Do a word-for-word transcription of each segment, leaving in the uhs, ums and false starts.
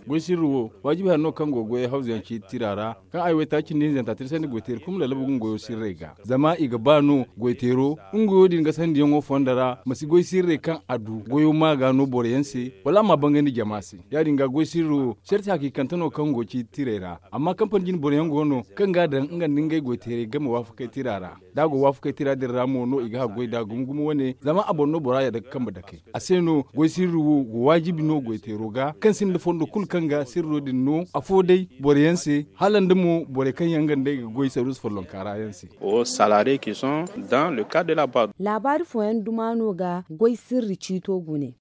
Goy sirri wo, waajibi hari no kaŋ go goyey hawzuyaŋ ciiti tira ra, kaŋ ay waytaaci cindi hinzanta tirsandi goy teeri kulu ma lallabu ga nga goyo sirrey ga. Zama i ga ba no goy teero nga goyo din gasandiyaŋo fondo ra ma si goy sirrey kaŋ a du goyo ma ga no boroyaŋ se, wala a ma bangandi jama se. Ya- din ga goy sirri wo sarti hakiikante no kaŋ go ciiti tirey ra. Amma kampani jine boroyaŋ go no kaŋ ga a daŋ nga nda ngey goy teerey game waafakey tira ra. Da a go waafakey tira din ra mo no i ga haggoy nd'a gumo gumo wane, zama a boŋ no bora yadda ga kambe dakey. A se no goy sirri wo go waajibi no goy teero ga kaŋ sinda fondo kulu kaŋ ga sirro din no afo day boroyaŋ se, hala nda mo borey kaŋ yaŋ nga nd'ey ga goy saruusu follonka ra yaŋ se. Laabaari fooyaŋ duma no ga goy sirri ciito gune.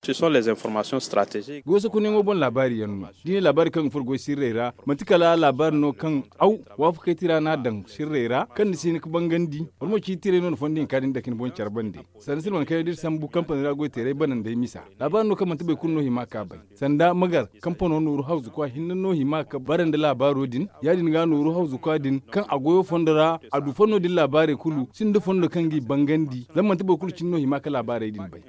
Goy sokonyaŋo boŋ laabaari yaŋ no. Da i ne laabaari kaŋ ga furo goy sirrey ra, manti kala laabaari no kaŋ aw waafakey tira no a daŋ sirrey ra kaŋ ni si hin ga bangandi. Wala mo ciiti tirey no ni fondo hinka din dake ni boŋ care bande. Sanda silman kayna da iri sambu kampani ra goy teerey banandey misa, laabaari no kaŋ manti boro kulu no hima ka bay. Sanda magar kampano nooru hawzukwa hinne no hima ka bara nda laabaaro din. Ya- din ga nooru hawzukwa din kaŋ a goyo fondo ra, a du fondo din laabaarey kulu sinda fondo kaŋ g'i bangandi, zama manti boro kulu cine no hima ka laabaarey din bay.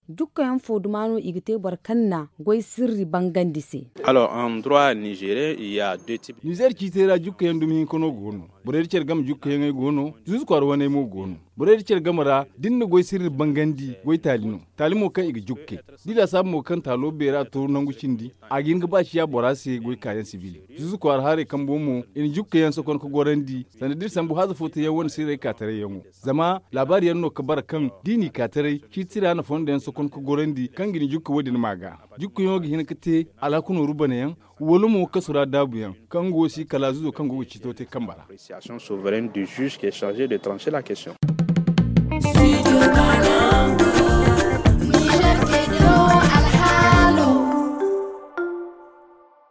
Jukkayaŋ fo duma no i ga te boro kaŋ na goy sirri bangandi se? Nizer ciitey ra jukkayaŋ dumi hinka no go no. Borey da care game jukkayaŋey go no. Zuuzu kwaara waney mo go no. Borey da care game ra da ni na goy sirri bangandi goy taali no. Taali mo kaŋ i ga jukkay da i laasaabu mo kaŋ taalo beera tooru nangu cindi, a ga hin ga ba ciya bora se goy kaayaŋ sibil. Zuuzu kwaara haray kambo mo i na jukkayaŋ sokon ga gorandi. Sanda da iri sambu haaza fo teyaŋ wane sirrey kaataray yaŋo. Zama laabaari yaŋ no ga bara kaŋ da i n'i kaataray ciiti ra na fondo yaŋ sokon ga gorandi kaŋ ga ni jukka wo- din ma ga. Jukkayaŋo ga hin ga te alhaku nooru banayaŋ, wala mo kasu ra daabuyaŋ kaŋ go si kala zuuzo kaŋ go ga ciito te kambe ra.